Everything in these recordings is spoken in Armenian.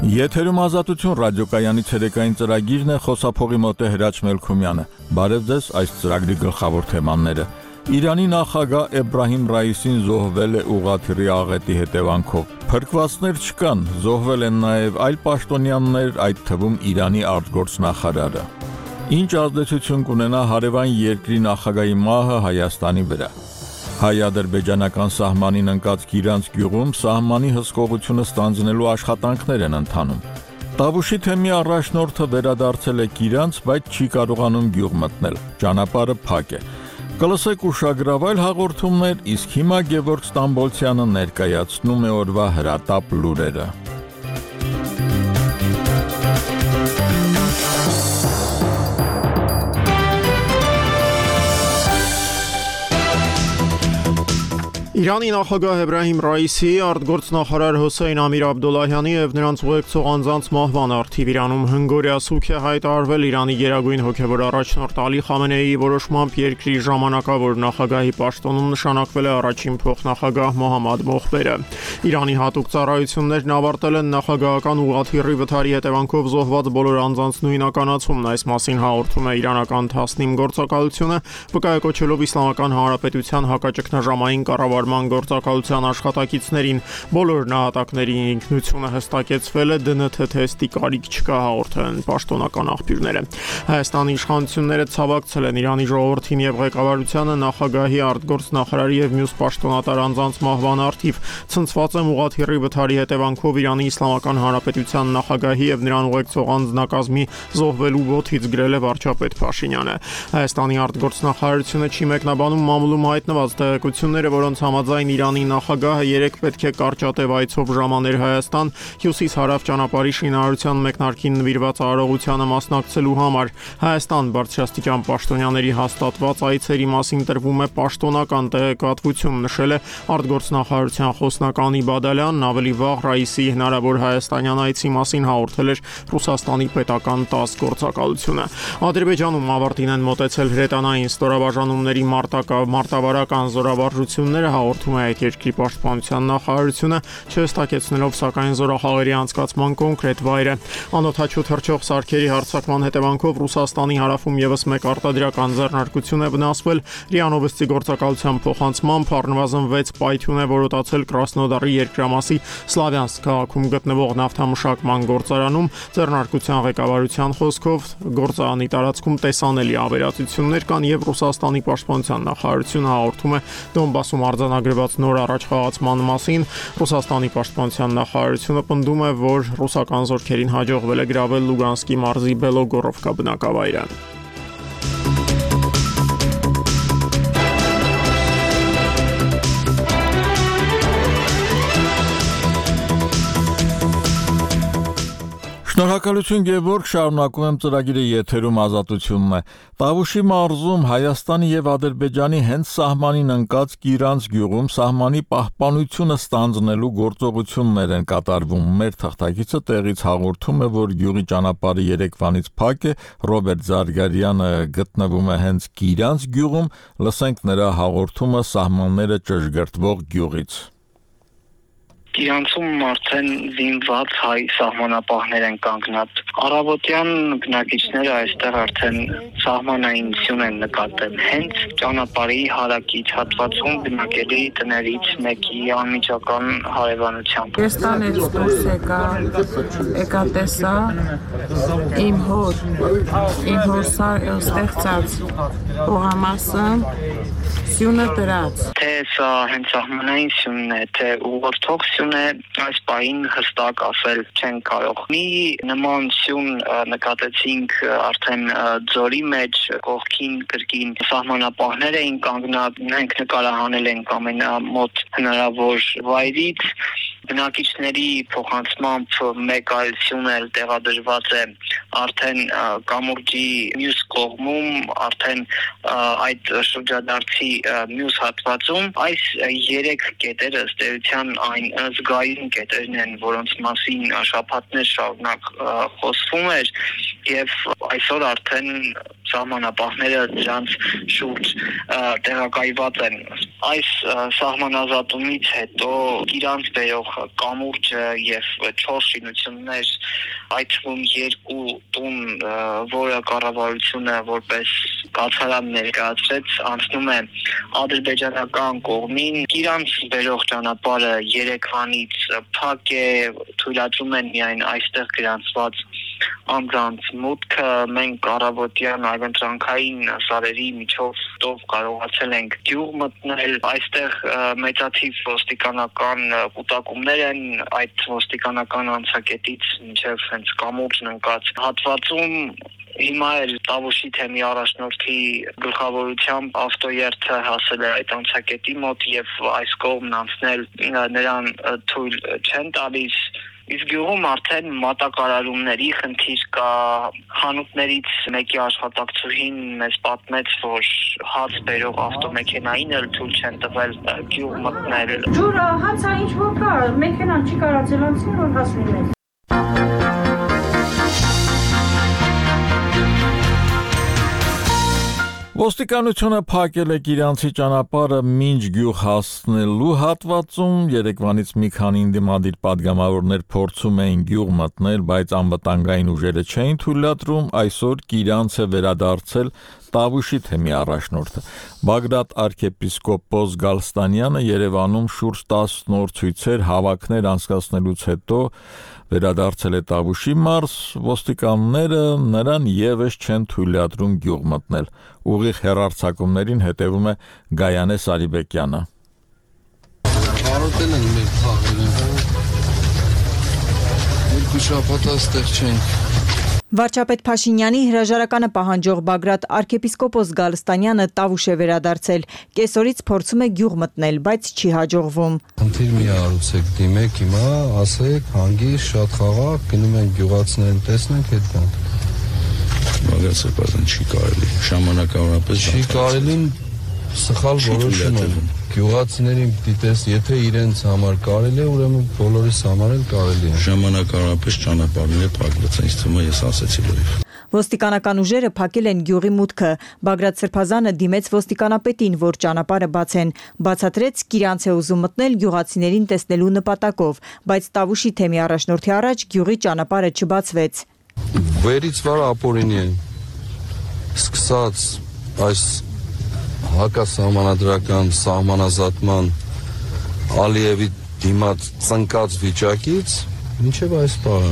Եթերում ազատություն ռադիոկայանի ցերեկային ծրագիրն է, խոսափողի մոտ է Հրաչ Մելքումյանը։ Բարև ձեզ, այս ծրագրի գլխավոր թեմաները։ Իրանի նախագահ Էբրահիմ Ռայիսին զոհվել է ուղղաթիռի աղետի հետևանքով։ Փրկվածներ չկան, զոհվել են նաև այլ պաշտոնյաներ, այդ թվում Իրանի արտգործնախարարը։ Ինչ ազդեցություն կունենա հարևան երկրի նախագահի մահը Հայաստանի վրա։ Հայ-ադրբեջանական սահմանին ընկած Գիրանց գյուղում սահմանի հսկողությունը ստանձնելու աշխատանքներ են ընթանում։ Տավուշի թեմի առաջնորդը վերադարձել է Գիրանց, բայց չի կարողանում գյուղ մտնել։ Ճանապարհը փակ է։ Կլսեք ուշագրավայր հաղորդումներ, իսկ հիմա Գևորգ Ստամբոլցյանը ներկայացնում է օրվա հրատապ լուրերը։ Իրանի նախագահ Էբրահիմ Ռայիսի, արտգործնախարար Հոսեյն Ամիր Աբդոլլահյանի եւ նրանց ուղեկցող անձանց մահվան առթիվ Իրանում հնգօրյա սուգ է հայտարարվել Իրանի գերագույն հոգեվոր առաջնորդ Ալի Խամենեիի որոշմամբ երկրի ժամանակավոր նախագահի պաշտոնում նշանակվել է առաջին փոխնախագահ Մոհամմադ Մոխբերը։ Իրանի հատուկ ծառայություններն ավարտել են նախագահական ուղղաթիռի վթարի հետևանքով զոհված բոլոր անձանց նույնականացումն, այս մասին հաղորդում է իրանական Թասնիմ գործակալությունը, վկայակոչելով Իսլամական Հանրապետության հակաճգնաժամային կառավարման գործակալության աշխատակիցներին, բոլոր նահատակների ինքնությունը հստակեցվել է, ԴՆԹ թեստի կարիք չկա, հաղորդել են պաշտոնական աղբյուրները։ Հայաստանի իշխանությունները ցավակցել են Իրանի ժողովրդին եւ ղեկավարությանը նախագահի, արտգործնախարարի եւ մյուս պաշտոնատար անձանց մահվան առթիվ, ցնցված եմ ուղղաթիռի վթարի հետևանքով Իրանի Իսլամական Հանրապետության նախագահի եւ նրան ուղեկցող անձնակազմի զոհվելու ոտից գրել է վարչապետ Փաշինյանը։ Հայաստանի արտգործնախարարությունը չի մեկնաբանում մամուլում հայտնված տեղեկությունները, որոնց համաձայն Իրանի նախագահը երեկ պետք է կարճատև այցով ժամաներ Հայաստան հյուսիս-հարավ ճանապարհի շինարարության մեկնարկին նվիրված արարողությանը մասնակցելու համար։ Հայաստան բարձրաստիճան պաշտոնյաների հաստատված այցերի մասին տրվում է պաշտոնական տեղեկատվություն, նշել է արտգործնախարարության խոսնակ Անի Բադալյանն, ավելի վաղ Ռայիսի հնարավոր հայաստանյան այցի մասին հաղորդել էր Ռուսաստանի պետական ՏԱՍՍ գործակալությունը։ Ադրբեջանում ավարտին են մոտեցել հրետանային ստորաբաժանումների մարտավարական զորավարժությունները, հաղորդում է այդ երկրի պաշտպանության նախարարությունը, չհստակեցնելով սակայն զորախաղերի անցկացման կոնկրետ վայրը։ Անօդաչու թռչող սարքերի հարձակման հետևանքով Ռուսաստանի հարավում եւս մեկ արտադրական ձեռնարկություն է վնասվել։ ՌԻԱ Նովոստի գործակալության փոխանցմամբ առնվազն 6 պայթյուն է որոտացել Կրասնոդարի երկրամասի Սլավյանսկ քաղաքում գտնվող նավթամշակման գործարանում։ Ձեռնարկության ղեկավարության խոսքով գործարանի տարածքում տեսանելի ավերածություններ կան եւ Ռուսաստանի պաշտպանության նախարարությունը հաղորդում է Դոնբասում արձանագրված նոր առաջխաղացման մասին։ Ռուսաստանի պաշտպանության նախարարությունը պնդում է, որ ռուսական զորքերին հաջողվել է գրավել Լուգանսկի մարզի Բելոգորովկա բնակավայրը։ Շնորհակալություն Գևորգ, շարունակում եմ ծրագիրը, եթերում ազատությունն է։ Տավուշի մարզում Հայաստանի եւ Ադրբեջանի հենց սահմանին ընկած Գիրանց գյուղում սահմանի պահպանությունը ստանձնելու գործողություններ են կատարվում։ Մեր թղթակիցը տեղից հաղորդում է, որ գյուղի ճանապարհը երեկվանից փակ է, Ռոբերտ Զարգարյանը գտնվում է հենց Գիրանց գյուղում, լսենք նրա հաղորդումը սահմանները ճշգրտվող գյուղից։ Գիրանցում արդեն զինված հայ սահմանապահներ են կանգնած։ Առավոտյան բնակիչները այստեղ արդեն սահմանայնություն են նկատել։ Հենց ճանապարհի հարակից հատվածում բնակելի տներից մեկի անմիջական հարևանությամբ։ Ես տանից դուրս եկա տեսա իմ հոր ստեղծած ուղամասը սյունը դրած։ Թե սա հենց սահմանային սյունն է, թե ուղղորդող սյուն է, այս պահին հստակ ասել չեն կարող։ Մի նման սյուն նկատեցինք արդեն ձորի մեջ, կողքին կրկին սահմանապահներ էին կանգնած, մենք նկարահանել ենք ամենամոտ հնարավոր վայրից։ Բնակիչների փոխանցմամբ մեկ այլ սյուն էլ տեղադրված է արդեն կամուրջի մյուս կողմում, արդեն այդ շրջադարձի մյուս հատվածում։ Այս 3 կետերը ըստ էության այն զգայուն կետերն են, որոնց մասին շաբաթներ շարունակ խոսվում էր, եւ այսօր արդեն սահմանապահները դրանց շուրջ տեղակայված են։ Այս սահմանազատումից հետո իրանց բերող կամուրջը եւ 4 շինություններ, այդ թվում 2 տուն, որը կառավարությունը որպես կացարան ներկայացրեց, անցնում է ադրբեջանական կողմին։ Իրանց բերող ճանապարհը Երևանից փակ է, թույլատրում են միայն այստեղ գրանցված անձանց մուտքը։ Մենք առավոտյան այլընտրանքային սարերի միջով կարողացել ենք գյուղ մտնել։ Այստեղ մեծաթիվ ոստիկանական կուտակումներ են, այդ ոստիկանական անցակետից մինչև հենց կամուրջն ընկած հատվածում։ Հիմա էլ Տավուշի թեմի առաջնորդի գլխավորությամբ ավտոերթը հասել է այդ անցակետի մոտ եւ այս կողմն անցնել նրան թույլ չեն տալիս։ Իսկ գյուղում արդեն մատակարարումների խնդիր կա։ Խանութներից մեկի աշխատակցուհին մեզ պատմեց, որ հաց բերող ավտոմեքենային էլ թույլ չեն տվել գյուղ մտնել։ Ջուրը, հացը ինչ որ կա, մեքենան չի կարացել անցնել, որ հաց լինել։ Ոստիկանությունը փակել է Գիրանցի ճանապարհը մինչ գյուղ հասնելու հատվածում։ Երևանից մի քանի ընդդիմադիր падգամավորներ փորձում էին գյուղ մտնել, բայց անվտանգային ուժերը չէին թույլատրում։ Այսօր Գիրանց է վերադարձել Տավուշի թեմի առաջնորդը։ Բագրատ arczepiskopos Գալստանյանը Երևանում շուրջ 10 նոր ցույցեր, հավաքներ անցկացնելուց հետո վերադարձել է Տավուշի մարզ, ոստիկանները նրան եւս չեն թույլատրում գյուղ մտնել։ Ուղիղ հեռարձակումներին հետևում է Գայանե Սարիբեկյանը։ Հարոտել են մեր թաղերը։ Երկու շաբաթ այստեղ չենք։ Վարչապետ Փաշինյանի հրաժարականը պահանջող Բագրատ arczepiskopos Գալստանյանը Տավուշ է վերադարձել։ Կեսօրից փորձում է գյուղ մտնել, բայց չի հաջողվում։ Խնդիր մի արուցեք, դիմեք հիմա, ասեք, հանգիստ, շատ խաղաղ, գնում են գյուղացիներին տեսնենք, հետ գանք։ Բագրատ սրբազան չի կարելի, ժամանակավորապես չի կարելին սխալ որոշում է։ Գյուղացիներին դիտես, եթե իրենց համար կարելի է, ուրեմն բոլորիս համար էլ կարելի է։ Ժամանակավորապես ճանապարհները փակված են, ինձ թվում է ես ասեցի լրիվ։ Ոստիկանական ուժերը փակել են գյուղի մուտքը։ Բագրատ Սրբազանը դիմեց ոստիկանապետին, որ ճանապարհը բացեն։ Բացատրեց, Գիրանց է ուզում մտնել գյուղացիներին տեսնելու նպատակով, բայց Տավուշի թեմի առաջնորդի առաջ գյուղի ճանապարհը չբացվեց։ Վերից վար ապօրինի են։ Սկսած այս հակասահմանադրական սահմանազատման Ալիևի դիմաց ծնկած վիճակից մինչև այս պահը։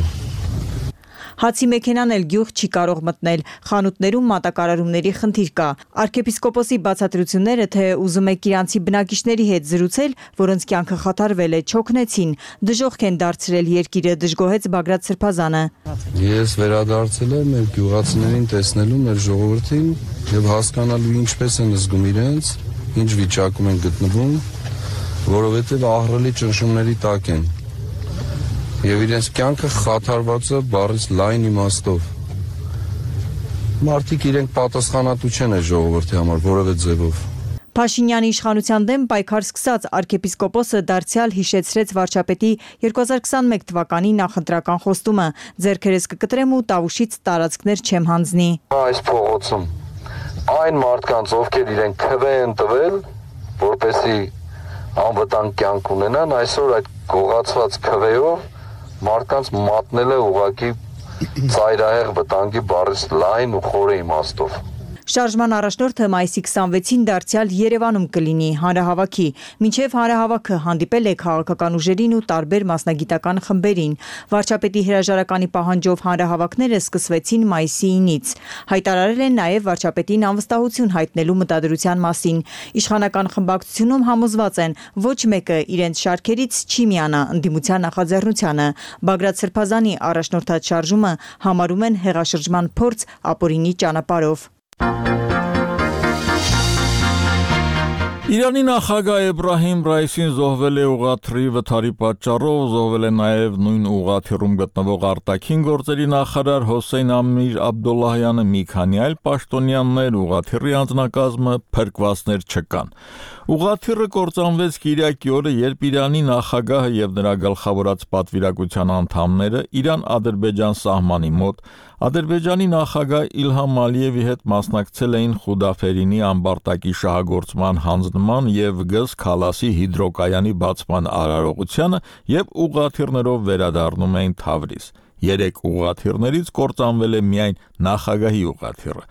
Հացի մեքենան էլ գյուղ չի կարող մտնել, խանութներում մատակարարումների խնդիր կա։ Arczepiskoposի բացատրությունները, թե ուզում է Գիրանցի բնակիչների հետ զրուցել, որոնց կյանքը խաթարվել է, չօգնեցին, դժոխք են դարձրել երկիրը, դժգոհեց Բագրատ Սրբազանը։ Ես վերադարձել եմ մեր գյուղացիներին տեսնելու մեր ժողովրդին եւ հասկանալու ինչպես են զգում իրենց, ինչ վիճակում են գտնվում, որովհետեւ ահռելի ճնշումների տակ են։ Եվ իրենց կյանքը խաթարված է բառից լայն իմաստով։ Մարդիկ իրենք պատասխանատու չեն այս ժողովրդի համար որևէ ձևով։ Փաշինյանի իշխանության դեմ պայքար սկսած arczepiskopos-ը դարձյալ հիշեցրեց վարչապետի 2021 թվականի նախընտրական խոստումը՝ ձեռքերս կկտրեմ ու Տավուշից տարածքներ չեմ հանձնի։ Այս փողոցում այն մարդկանց, ովքեր իրենք քվե են տվել, որպեսզի անվտանգ կյանք ունենան, այսօր այդ գողացված քվեով մարդկանց մատնել է ուղղակի ծայրահեղ վտանգի բառից լայն ու խորը իմաստով։ Շարժման առաջնորդը մայիսի 26-ին դարձյալ Երևանում կլինի հանրահավաքի։ Մինչև հանրահավաքը հանդիպել է քաղաքական ուժերին ու տարբեր մասնագիտական խմբերին։ Վարչապետի հրաժարականի պահանջով հանրահավաքները սկսվեցին մայիսի 9-ից։ Հայտարարել են նաև վարչապետին անվստահություն հայտնելու մտադրության մասին։ Իշխանական խմբակցությունում համոզված են, ոչ մեկը իրենց շարքերից չի միանա ընդդիմության նախաձեռնությանը։ Բագրատ Սրբազանի առաջնորդած շարժումը համարում են հեղաշրջման փորձ ապօրինի ճանապարհով։ Իրանի նախագահ Էբրահիմ Ռայիսին զոհվել է ուղղաթիռի վթարի պատճառով, զոհվել է նաև նույն ուղղաթիռում գտնվող արտաքին գործերի նախարար Հոսեյն Ամիր Աբդոլլահյանը, մի քանի այլ պաշտոնյաներ, ուղղաթիռի անձնակազմը, փրկվածներ չկան։ Ուղղաթիռը կործանվեց Կիրակի օրը, երբ Իրանի նախագահը եւ նրա գլխավորած պատվիրակության անդամները Իրան-Ադրբեջան սահմանի մոտ Ադրբեջանի նախագահ Իլհամ Ալիևի հետ մասնակցել էին Խուդաֆերինի ամբարտակի շահագործման հանձնման եւ Գս Քալասի հիդրոկայանի բացման արարողությանը եւ ուղղաթիռներով վերադառնում էին Թավրիզ։ 3 ուղղաթիռներից կործանվել է միայն նախագահի ուղղաթիռը։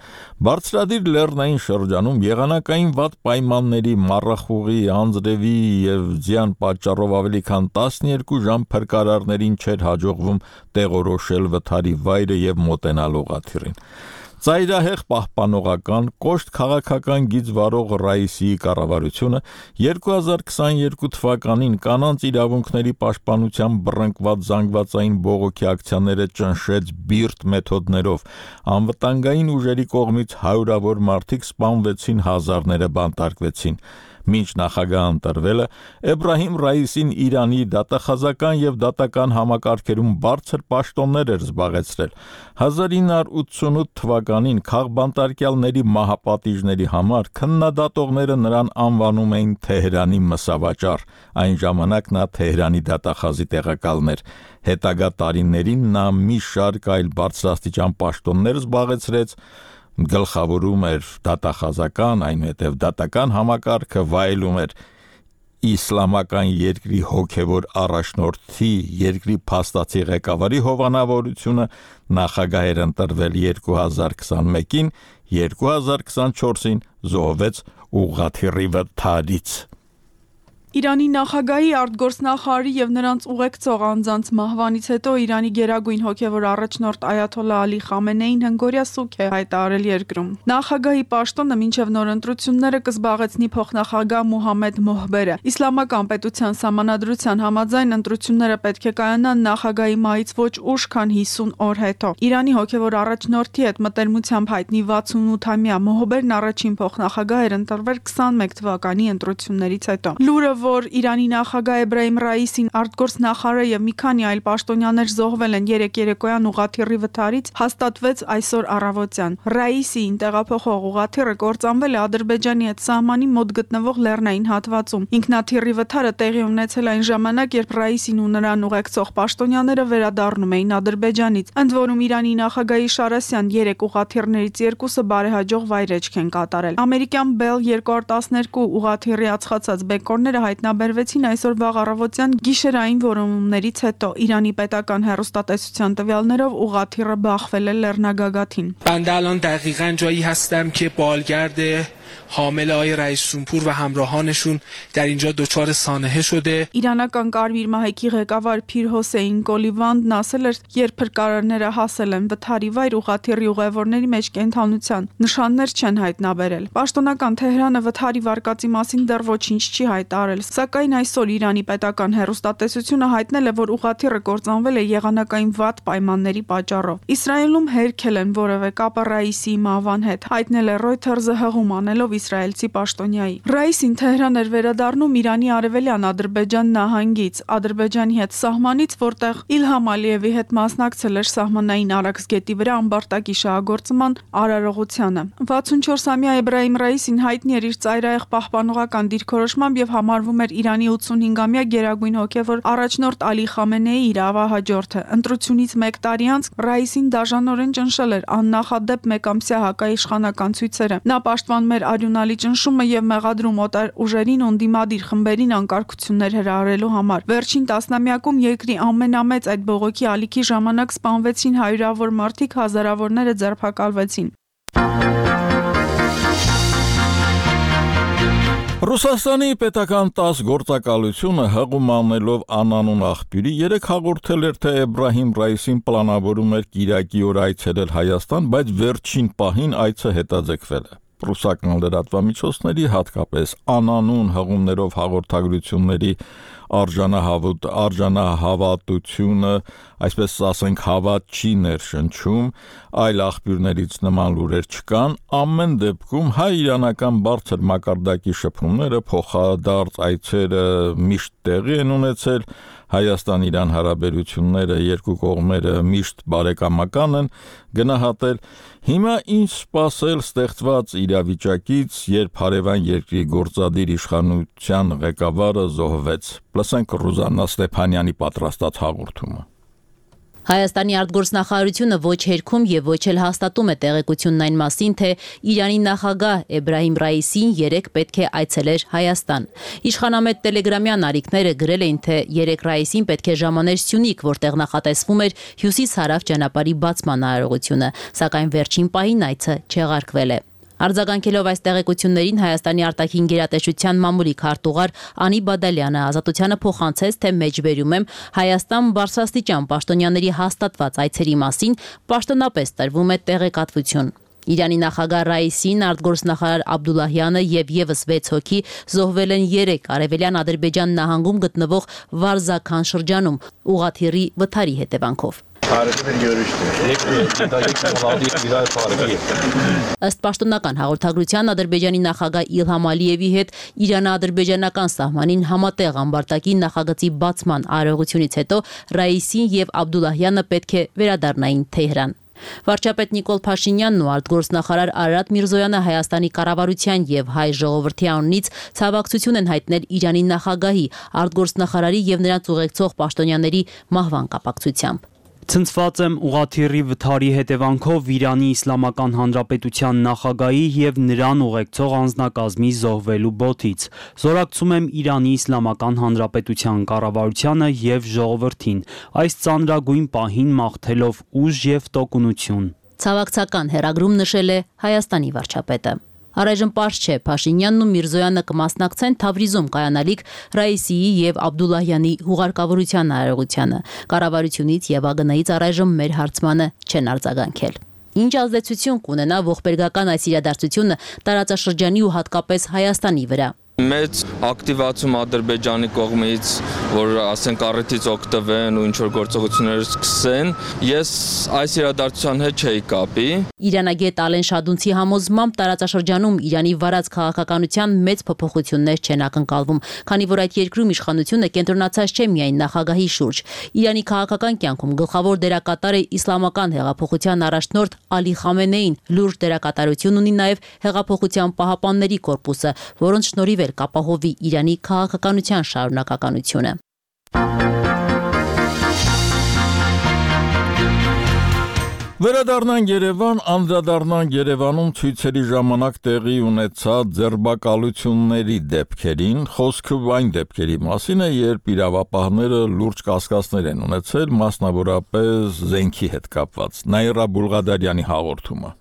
Բարձրադիր լեռնային շրջանում եղանակային վատ պայմանների, մառախուղի, անձրևի եւ ձյան պատճառով ավելի քան 12 ժամ փրկարարներին չէր հաջողվում տեղորոշել վթարի վայրը եւ մոտենալ ուղղաթիռին։ Ծայրահեղ պահպանողական կոշտ քաղաքական գիծ վարող Ռայիսիի կառավարությունը 2022 թվականին կանանց իրավունքների պաշտպանության բռնկված զանգվածային բողոքի ակցիաները ճնշեց բիրտ մեթոդներով, անվտանգային ուժերի կողմից հարյուրավոր մարդիկ սպանվեցին, հազարները բանտարկվեցին։ Մինչ նախագահը ընտրվելը Էբրահիմ Ռայիսին Իրանի դատախազական եւ դատական համակարգերում բարձր պաշտոններ էր զբաղեցրել։ 1988 թվականին քաղբանտարկյալների մահապատիժների համար քննադատողները նրան անվանում էին Թեհրանի մսավաճառ, այն ժամանակ նա Թեհրանի դատախազի տեղակալն էր։ Հետագա տարիներին նա մի շարք այլ բարձրաստիճան պաշտոններ զբաղեցրեց, գլխավորում էր դատախազական, այնուհետև դատական համակարգը, վայելում էր իսլամական երկրի հոգևոր առաջնորդի, երկրի փաստացի ղեկավարի հովանավորությունը, նախագահ էր ընտրվել 2021-ին, 2024-ին զոհվեց ուղղաթիռի վթարից։ Իրանի նախագահի արտգործնախարարի եւ նրանց ուղեկցող անձանց մահվանից հետո Իրանի գերագույն հոգևոր առաջնորդ Այաթոլլահ Ալի Խամենեին հնգորյա սուգ է հայտարարել երկրում։ Նախագահի պաշտոնը մինչև նոր ընտրությունները կզբաղեցնի փոխնախագահ Մուհամմեդ Մոհբերը։ Իսլամական պետության սահմանադրության համաձայն ընտրությունները պետք է կայանան նախագահի մահից ոչ ուշ, քան 50 օր հետո։ Իրանի հոգևոր առաջնորդի հետ մտերմությամբ հայտնի 68-ամյա Մոհբերն առաջին փոխնախագահ էր ընտրվել 21 թվականի ընտրություններից հետո։ Լուրը, որ Իրանի նախագահ Էբրահիմ Ռայիսին, արտգործնախարարը եւ մի քանի այլ պաշտոնյաներ զոհվել են երեկոյան ուղղաթիռի վթարից, հաստատվեց այսօր առավոտյան։ Ռայիսին տեղափոխող ուղղաթիռը կործանվել է Ադրբեջանի հետ սահմանի մոտ գտնվող լեռնային հատվածում։ Ինքնաթիռի վթարը տեղի ունեցել այն ժամանակ, երբ Ռայիսին ու նրան ուղեկցող պաշտոնյաները վերադառնում էին Ադրբեջանից։ Ընդ որում Իրանի նախագահի Շարասյան 3 ուղղաթիռներից 2-ը բարեհաջող վայրեջք են կատարել։ Ամերիկյան Bell 212 ուղղաթիռի ածխացած բեկորները հայտնաբերվեցին այսօր վաղ առավոտյան գիշերային որոնումներից հետո։ Իրանի պետական հեռուստատեսության տվյալներով ուղղաթիռը բախվել է լեռնագագաթին։ بنده الان دقیقاً جایی هستم که بالگرد حامل آقای رئیس‌جمهور و همراهانشون در اینجا دچار سانحه شده. Իրանական Կարմիր մահեկի ղեկավար Փիր Հոսեյն Կոլիվանդն ասել էր, երբ փրկարարները հասել են վթարի վայր, ուղղաթիռի ուղևորների մեջ կենթանության նշաններ չեն հայտնաբերել։ Պաշտոնական Թեհրանը վթարի վարկածի մասին դեռ ոչինչ չի հայտարարել, սակայն այսօր Իրանի պետական հեռուստատեսությունը հայտնել է, որ ուղղաթիռը կործանվել է եղանակային վատ պայմանների պատճառով։ Իսրայելում հերքել են որևէ կապը Ռայիսի մահվան հետ, հայտնել է Reuters-ը հղում անելով իսրայելցի պաշտոնյայի։ Ռայիսին Թեհրան էր վերադառնում Իրանի արևելյան Ադրբեջան նահանգից, Ադրբեջանի հետ սահմանից, որտեղ Իլհամ Ալիևի հետ մասնակցել էր սահմանային Արաքսգետի վրա ամբարտակի շահագործման արարողությանը։ 64-ամյա Էբրահիմ Ռայիսին հայտնի էր իր ծայրահեղ պահպանողական դիրքորոշմամբ եւ համարվում էր Իրանի 85-ամյա գերագույն հոգևոր առաջնորդ Ալի Խամենեի իրավահաջորդը։ Ընտրությունից 1 տարի անց Ռայիսին դաժանորեն ճնշել էր աննախադեպ մեկամսյա հակաիշխանական ցույցերը։ Նա պաշտպանում էր արյունալի ճնշումը եւ մեղադրում օտար ուժերին ու դիմադիր խմբերին անկարգություններ հրահրելու համար։ Վերջին տասնամյակում երկրի ամենամեծ այդ բողոքի ալիքի ժամանակ սպանվեցին հարյուրավոր մարդիկ, հազարավորները ձերբակալվեցին։ Ռուսաստանի պետական 10 գործակալությունը հղում անելով անանուն աղբյուրի 3 հաղորդել էր, թե Էբրահիմ Ռայիսին պլանավորում էր Կիրակի օր այցելել Հայաստան, բայց վերջին պահին այցը հետաձգվել է։ Ռուսական լրատվամիջոցների, հատկապես անանուն հղումներով հաղորդագրությունների արժանահավատությունը, այսպես ասենք, հավատ չի ներշնչում, այլ աղբյուրներից նման լուրեր չկան, ամեն դեպքում հայ-իրանական բարձր մակարդակի շփումները, փոխադարձ այցերը միշտ տեղի են ունեցել, Հայաստան-Իրան հարաբերությունները երկու կողմերը միշտ բարեկամական են, գնահատել հիմա ինչ սպասել ստեղծված իրավիճակից, երբ հարևան երկրի գործադիր իշխանության ղեկավարը զոհվեց։ Լսենք Ռուզաննա Ստեփանյանի պատրաստած հաղորդումը։ Հայաստանի արտգործնախարարությունը ոչ հերքում եւ ոչ էլ հաստատում է տեղեկությունն այն մասին, թե Իրանի նախագահ Էբրահիմ Ռայիսին երեկ պետք է այցելեր Հայաստան։ Իշխանամետ տելեգրամյան արիքները գրել էին, թե երեկ Ռայիսին պետք է ժամաներ Սյունիք, որտեղ նախատեսվում էր հյուսիս-հարավ ճանապարհի բացման արարողությունը, սակայն վերջին պահին այցը չեղարկվել է։ Արձագանքելով այս տեղեկություններին Հայաստանի արտաքին գերատեսչության մամուլի քարտուղար Անի Բադալյանը Ազատությանը փոխանցեց, թե մեջբերում եմ Հայաստան բարձրաստիճան պաշտոնյաների հաստատված այցերի մասին պաշտոնապես տրվում է տեղեկատվություն։ Իրանի նախագահ Ռայիսին, արտգործնախարար Աբդուլլահյանը եւ եւս 6 հոգի զոհվել են երեկ Արևելյան Ադրբեջան նահանգում գտնվող Վարզաքան շրջանում ուղղաթիռի վթարի հետևանքով։ Ըստ պաշտոնական հաղորդագրության Ադրբեջանի նախագահ Իլհամ Ալիևի հետ Իրано-ադրբեջանական սահմանին համատեղ ամբարտակի նախագծի բացման արարողությունից հետո Ռայիսին եւ Աբդուլլահյանը պետք է վերադառնային Թեհրան։ Վարչապետ Նիկոլ Փաշինյանն ու արտգործնախարար Արարատ Միրզոյանը Հայաստանի կառավարության եւ հայ ժողովրդի անունից ցավակցություն են հայտնել Իրանի նախագահի, արտգործնախարարի եւ նրանց ուղեկցող պաշտոնյաների մահվան կապակցությամբ։ Ցնցված եմ ուղղաթիռի վթարի հետևանքով Իրանի Իսլամական Հանրապետության նախագահի եւ նրան ուղեկցող անձնակազմի զոհվելու բոթից։ Զորակցում եմ Իրանի Իսլամական Հանրապետության կառավարությանը եւ ժողովրդին, այս ծանրագույն պահին մաղթելով ուժ եւ տոկունություն։ Ցավակցական հերագրում նշել է Հայաստանի վարչապետը։ Առայժմ պարզ չէ Փաշինյանն ու Միրզոյանը կմասնակցեն Թավրիզում կայանալիք Ռայիսիի եւ Աբդուլլահյանի հուղարկավորության արարողությանը։ Կառավարությունից եւ ԱԳՆ-ից առայժմ մեր հարցմանը չեն արձագանքել։ Ինչ ազդեցություն կունենա ողբերգական այս իրադարձությունը տարածաշրջանի ու հատկապես Հայաստանի վրա։ Մեծ ակտիվացում Ադրբեջանի կողմից, որ ասենք առիթից օգտվեն ու ինչ-որ գործողություններ սկսեն, ես այս իրադարձության հետ չէի կապի։ Իրանագետ Ալեն Շադունցի համոզմամբ տարածաշրջանում Իրանի վարած քաղաքականության մեծ փոփոխություններ չեն ակնկալվում, քանի որ այդ երկրում իշխանությունը կենտրոնացած չէ միայն նախագահի շուրջ։ Իրանի քաղաքական կյանքում գլխավոր դերակատար է իսլամական հեղափոխության առաջնորդ Ալի Խամենեին, լուրջ դերակատարություն ունի նաև հեղափոխության պահապանների կորպուսը, որոնց շնորհիվ կապահովի Իրանի քաղաքականության շարունակականությունը։ Վերադառնանք Երևան, անդրադառնանք Երևանում ցույցերի ժամանակ տեղի ունեցած ձերբակալությունների դեպքերին, խոսքը այն դեպքերի մասին է, երբ իրավապահները լուրջ կասկածներ են ունեցել, մասնավորապես զենքի հետ կապված։ Նաիրա Բուլղադարյանի հաղորդումը։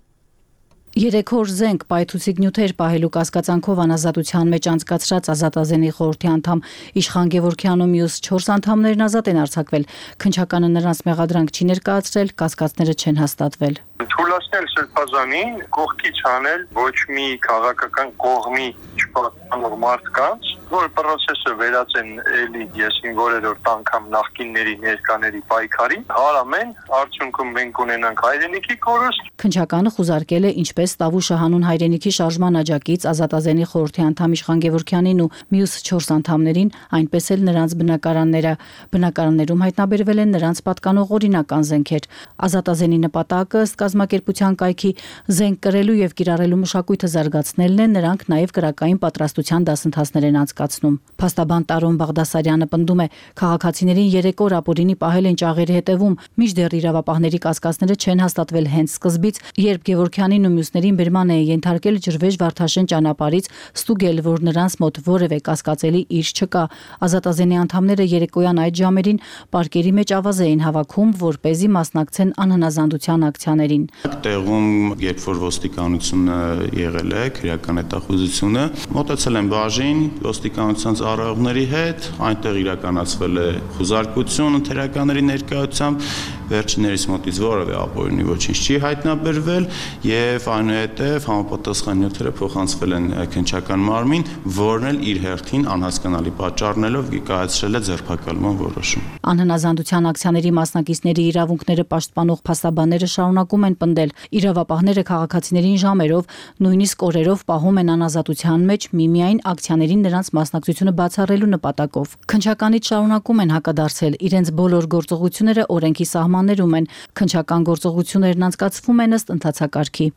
3 օր զենք պայթուցիկ նյութեր պահելու կասկածանքով անազատության մեջ անցկացրած Ազատազենի խորհրդի անդամ Իշխան Գևորգյանը մյուս 4 անդամներն ազատ են արձակվել։ Քննչականը նրանց մեղադրանք չի ներկայացրել, կասկածները չեն հաստատվել։ Թույլատնել Սրբազանին կողքի չանել ոչ մի քաղաքական կողմի չպատկանող մարդկանց, որ process-ը վերածեն էլի եսին որերորդ անգամ նախկինների ներկաների պայքարի, հարամեն արդյունքում մենք ունենանք հայրենիքի կորուստ։ Քննչականը խուզարկել է ինչպես Տավուշը հանուն հայրենիքի շարժման աջակից Ազատազենի խորհրդի անդամ Իշխան Գևորգյանին ու մյուս 4 անդամներին, այնպես էլ նրանց բնակարանները։ Բնակարաններում հայտնաբերվել են նրանց պատկանող օրինական զենքեր։ Ազատազենի նպատակը ըստ կազմակերպության կայքի զենք կրելու եւ կիրառելու մշակույթը զարգացնելն է, նրանք նաեւ կրակային պատրաստության դասընթացներ են անցկացնում։ Փաստաբան Տարոն Բաղդասարյանը պնդում է, քաղաքացիներին 3 օր ապօրինի պահել են ճաղերի հետևում, մինչդեռ իրավապահների կասկածները չեն հաստատվել հենց սկզբից, երբ Գևորգյանին ու մյուսներին բերման է ենթարկել ջրվեժ Վարդաշեն ճանապարհից, ստուգել, որ նրանց մոտ որևէ կասկածելի իր չկա։ Ազատազենի անդամները երեկոյան այդ ժամերին պարկերի մեջ ավազ էին հավաքում, որ เป զի մասնակցեն անհնազանդության ակցիաներին։ Տեղում, երբ որ ոստիկանությունը եղել է, քրեական հետախուզությունը, մոտեցել են բաժին ոստիկանության ծառայողների հետ, այնտեղ իրականացվել է խուզարկություն ընթերականների ներկայությամբ վերջիններիս մոտից որևէ ապօրինի ոչինչ չի հայտնաբերվել եւ այնուհետեւ համապատասխան նյութերը փոխանցվել են քննչական մարմին, որն էլ իր հերթին անհասկանալի պատճառներով կայացրել է ձերբակալման որոշում։ Անհնազանդության ակցիաների մասնակիցների իրավունքները պաշտպանող փաստաբանները շարունակում են պնդել, իրավապահները քաղաքացիներին ժամերով, նույնիսկ օրերով պահում են անազատության մեջ միմիայն ակցիաներին նրանց մասնակցությունը բացառելու նպատակով։ Քննչականից շարունակում են հակադարձել, իրենց բոլոր գործողությունները օրենքի սահմաններում են, քննչական գործողություններն անցկացվում են ըստ ընթացակարգի։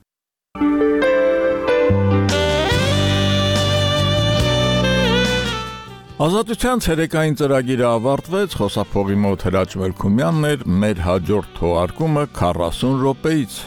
Ազատության ցերեկային ծրագիրը ավարտվեց, խոսափողի մոտ Հրաչ Մելքումյանն էր, մեր հաջորդ թողարկումը 40 րոպեից։